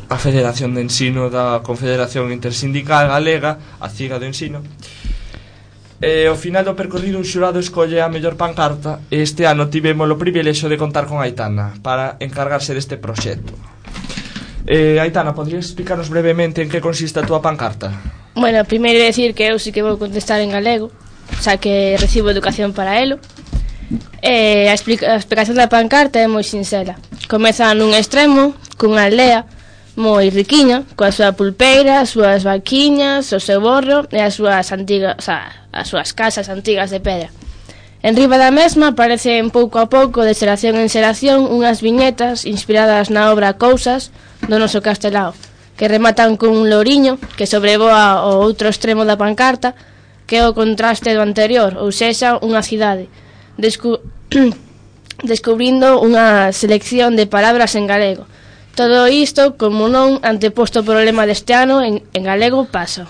a Federación de Ensino da Confederación Intersindical Galega, a CIGA do Ensino. E ao final do percorrido un xurado escolle a mellor pancarta, e este ano tivemos o privilexio de contar con Aitana para encargarse deste proxecto. Eh, Aitana, podrías explicarnos brevemente en que consiste a túa pancarta? Bueno, primeiro decir que eu sí que vou contestar en galego, xa que recibo educación para elo. Eh, a, explica a explicación da pancarta é moi sinxela. Comeza nun extremo, cunha aldea moi riquiña, coa súa pulpeira, as súas vaquiñas, o seu borro e as súas antigas, o sea, as súas casas antigas de pedra. En riba da mesma aparecen pouco a pouco, de xeración en xeración, unhas viñetas inspiradas na obra Cousas do noso Castelao, que rematan con un louriño que sobrevoa o outro extremo da pancarta, que é o contraste do anterior, ou sexa, unha cidade, descu descubrindo unha selección de palabras en galego. Todo isto, como non, anteposto o problema deste ano, en, en galego pasa.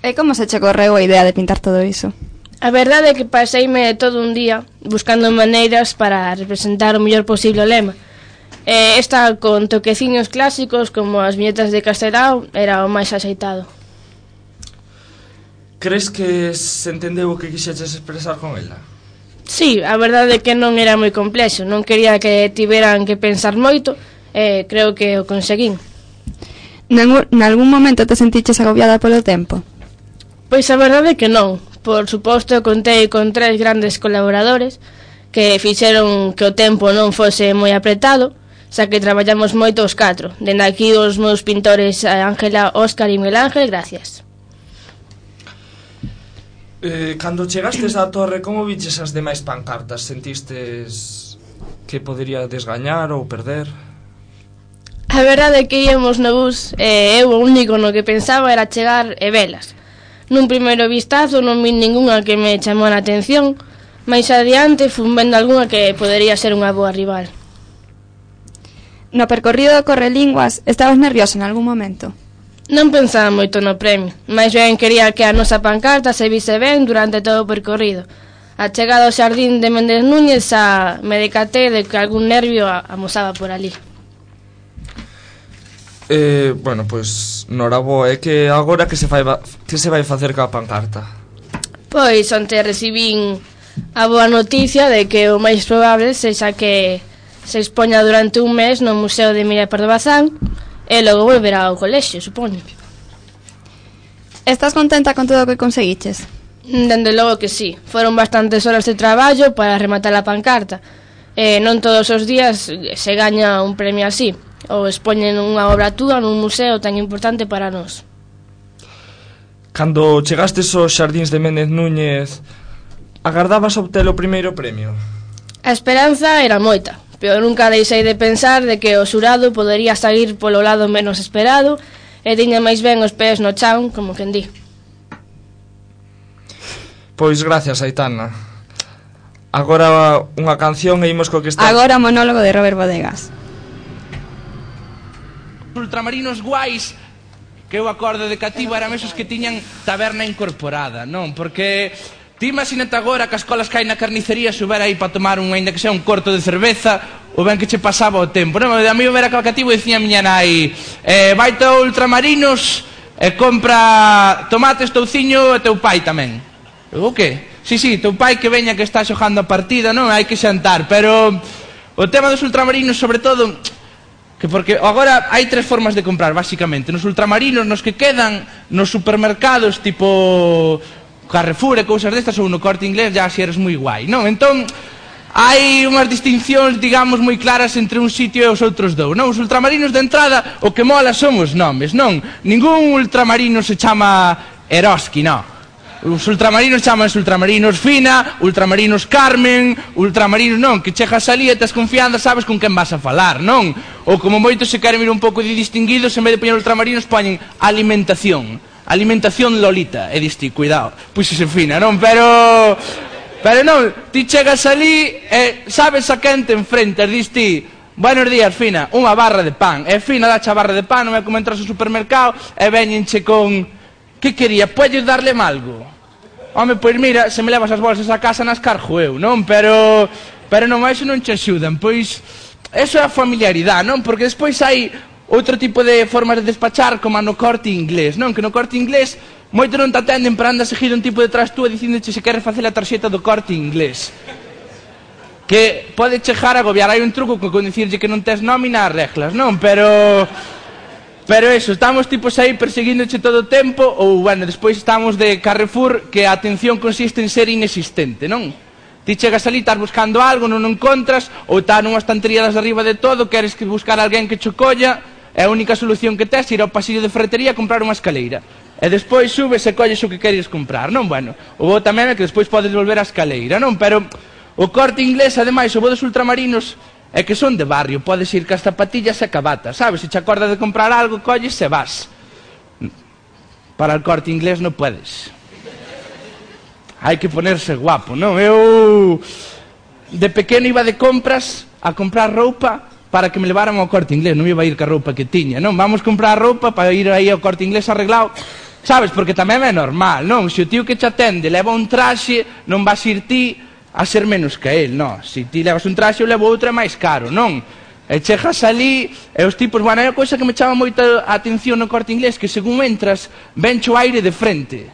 E como se che correu a idea de pintar todo iso? A verdade é que paseime todo un día buscando maneiras para representar o mellor posible o lema. E esta, con toqueciños clásicos como as viñetas de Castelao, era o máis axeitado. Crees que se entendeu o que quixeches expresar con ela? Sí, a verdade é que non era moi complexo. Non quería que tiveran que pensar moito, e creo que o conseguín. Nalgún momento te sentiches agobiada polo tempo? Pois a verdade é que non. Por suposto, contei con tres grandes colaboradores que fixeron que o tempo non fose moi apretado, xa que traballamos moito os catro. Dende aquí os meus pintores Ángela, Óscar e Miguel Ángel, gracias. Eh, cando chegastes á torre, como viches as demais pancartas? Sentistes que podería desgañar ou perder? A verdade é que íamos no bus e eu o único no que pensaba era chegar e velas. Nun primeiro vistazo non vi ningunha que me chamou a atención, máis adiante fun vendo algunha que podería ser unha boa rival. No percorrido do Correlinguas, estabas nerviosa en algún momento? Non pensaba moito no premio, máis ben quería que a nosa pancarta se vise ben durante todo o percorrido. A chegada ao xardín de Méndez Núñez xa me decatei de que algún nervio amosaba por ali. Eh, bueno, pois, noraboa, é que agora que se vai que se vai facer ca pancarta? Pois onte recibín a boa noticia de que o máis probable sexa que se expoña durante un mes no Museo de Miria Pardo Bazán e logo volverá ao colexio, supoño. Estás contenta con todo o que conseguiches? Dende logo que sí. Foron bastantes horas de traballo para rematar a pancarta. E non todos os días se gaña un premio así, ou expoñen unha obra túa nun museo tan importante para nós. Cando chegastes aos xardíns de Méndez Núñez, agardabas obter o primeiro premio? A esperanza era moita, pero nunca deixei de pensar de que o xurado podería sair polo lado menos esperado e tiña máis ben os pés no chan, como quen di. Pois gracias, Aitana. Agora unha canción e imos co que está... Agora o monólogo de Robert Bodegas. Ultramarinos guais que eu acordo de cativo eran esos que tiñan taberna incorporada, non? Porque ti imagínate agora que as colas que hai na carnicería subera aí para tomar un, ainda que sea un corto de cerveza, ou ben que che pasaba o tempo, non? A mí eu era cativo e dicía a miña nai eh, vaite ao Ultramarinos e compra tomates, touciño e teu pai tamén. O que? Sí, sí, teu pai que veña que está xogando a partida, non? Hai que xantar, pero o tema dos ultramarinos, sobre todo, que porque agora hai tres formas de comprar, basicamente. Nos ultramarinos, nos que quedan nos supermercados, tipo Carrefour e cousas destas, ou no Corte Inglés, ya si eres moi guai, non? Entón, hai unhas distincións, digamos, moi claras entre un sitio e os outros dous, non? Os ultramarinos de entrada, o que mola son os nomes, non? Ningún ultramarino se chama Eroski, non. Os ultramarinos chamanse ultramarinos Fina, ultramarinos Carmen, ultramarinos non, que chegas ali e tes confianza, sabes con quen vas a falar, non? Ou como moitos se queren ir un pouco de distinguidos, en vez de poñer ultramarinos poñen alimentación. Alimentación Lolita, e diste, cuidado, puxese Fina, non? Pero, pero non, ti chegas ali e sabes a quen te enfrentas, diste, buenos días, Fina, unha barra de pan, e Fina dache a barra de pan, non é como entras ao supermercado, e veñenche con, que quería, podes darle algo? Home, pois mira, se me levas as bolsas a casa nas cargo eu, non? Pero, pero non, iso non che axudan, pois, eso é a familiaridade, non? Porque despois hai outro tipo de formas de despachar como no Corte Inglés, non? Que no Corte Inglés moito non te atenden para andar a seguir un tipo detrás túa dicíndoche se queres facer a tarxeta do Corte Inglés. Que pode chegar a agobiar. Hai un truco con dicirlle que non tes nómina as reglas, non? Pero... Pero eso, estamos tipos aí perseguíndoche todo o tempo ou, bueno, despois estamos de Carrefour que a atención consiste en ser inexistente, non? Ti chegas ali, estás buscando algo, non o encontras, ou está nunha estantería das arriba de todo, queres que buscar alguén que cho colla, é a única solución que tes ir ao pasillo de ferretería a comprar unha escaleira. E despois subes e colles o que queres comprar, non? Bueno, o bo tamén é que despois podes volver á escaleira, non? Pero o Corte Inglés, ademais, o bo dos ultramarinos é que son de barrio, podes ir cas zapatillas e cabatas, sabes? Se te acordas de comprar algo, colles e vas. Para el Corte Inglés non podes. Hai que ponerse guapo, non? Eu de pequeno iba de compras a comprar roupa para que me levaran ao Corte Inglés, non iba a ir ca roupa que tiña, non? Vamos comprar roupa para ir aí ao Corte Inglés arreglado, sabes? Porque tamén é normal, non? Se o tío que te atende leva un traxe, non vas ir ti a ser menos que el, non? Se ti levas un traxe, eu levo outro é máis caro, non? E chegas ali, e os tipos, bueno, é a cousa que me chama moita atención no Corte Inglés, que según entras, venche o aire de frente.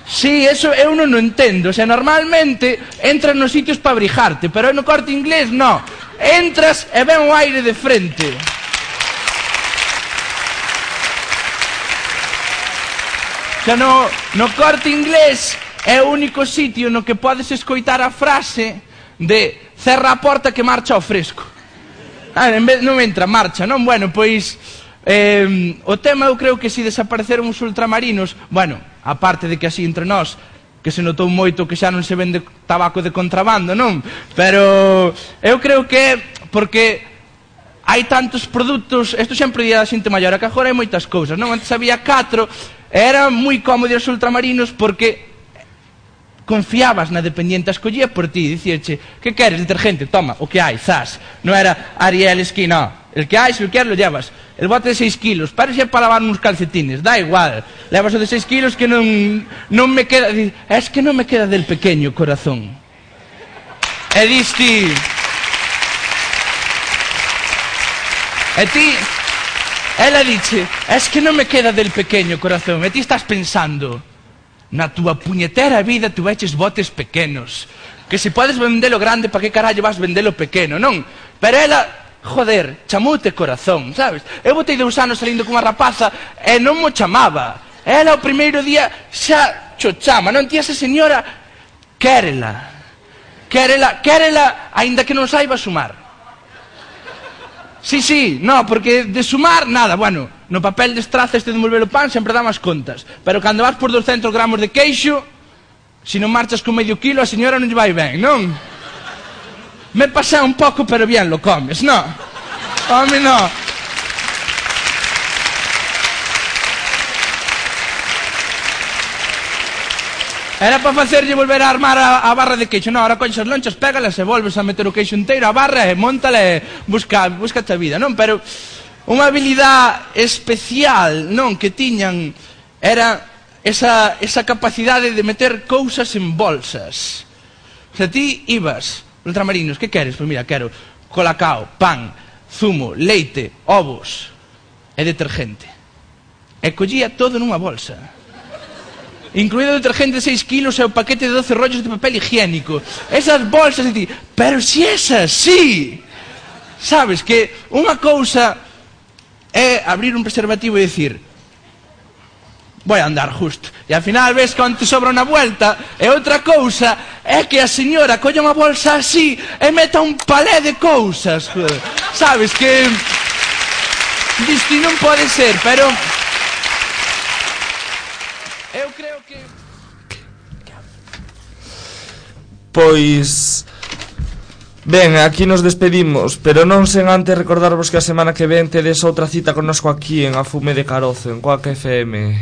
Sí, eso eu non o entendo, o sea, normalmente entras nos sitios para abrigarte, pero no Corte Inglés, non. Entras e ven o aire de frente. O sea, no, no Corte Inglés é o único sitio no que podes escoitar a frase de cerra a porta que marcha ao fresco. Ah, en vez, non entra, marcha, non? Bueno, pois eh, o tema eu creo que se desapareceron os ultramarinos, bueno, aparte de que así entre nós que se notou moito que xa non se vende tabaco de contrabando, non? Pero eu creo que é porque hai tantos produtos, isto sempre día da xente maior, que agora hai moitas cousas, non? Antes había catro, era moi cómodo os ultramarinos porque confiabas na dependiente, escollía por ti, dicíache, que queres, detergente? Toma, o que hai, zas. Non era Ariel Skin, no. El que hai, se o queres, lo llevas. El bote de seis kilos, parece para lavar uns calcetines, da igual. Levas o de seis kilos que non, non me queda... Es que non me queda del pequeño corazón. E diste... E ti... Ela dice, es que non me queda del pequeño corazón. E ti estás pensando... Na túa puñetera vida tu veches botes pequenos. Que se podes vendelo grande, pa que carallo vas vendelo pequeno, non? Pero ela, joder, chamoute corazón, sabes? Eu botei dous anos salindo cunha rapaza e non mo chamaba. Ela o primeiro día xa cho chama, non? Ti esa señora, quérela. Quérela, quérela, aínda que non saiba sumar. Sí, sí, no, porque de sumar, nada, bueno, no papel de estraza este de envolver o pan sempre dá máis contas. Pero cando vas por doscientos gramos de queixo, se non marchas con medio kilo, a señora non lle vai ben, non? Me pasé un pouco, pero bien lo comes, no? Home, no. Era para facerlle volver a armar a, a barra de queixo. Non, ahora colles as lonchas, pégalas e volves a meter o queixo inteiro a barra e móntala e busca, busca a vida, non? Pero unha habilidade especial, non, que tiñan era esa, esa capacidade de meter cousas en bolsas. O sea, ti ibas, ultramarinos, que queres? Pois mira, quero colacao, pan, zumo, leite, ovos e detergente. E collía todo nunha bolsa. Incluído o detergente de seis kilos e o paquete de doce rollos de papel higiénico. Esas bolsas de ti, pero si esas, sí. Sabes que unha cousa é abrir un preservativo e dicir Voy a andar justo. E ao final ves que te sobra unha vuelta. E outra cousa é que a señora colla unha bolsa así e meta un palé de cousas. Sabes que... Disto non pode ser, pero... Eu creo que... Pois... Ben, aquí nos despedimos, pero non sen antes recordarvos que a semana que ven tedes outra cita connosco aquí en A Fume de Carozo, en Quack F M.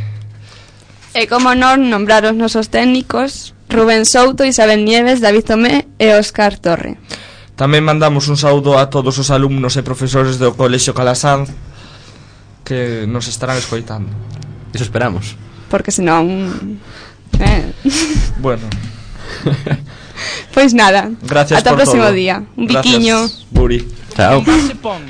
E como non nombrar os nosos técnicos, Rubén Souto, Isabel Nieves, David Tomé e Óscar Torre. Tamén mandamos un saúdo a todos os alumnos e profesores do Colexio Calasanz que nos estarán escoitando. Iso esperamos. Porque senón... Eh. Bueno. Pois nada. Gracias ata o por próximo todo. día. Un Gracias, biquiño. Buri. Chao. Se pon.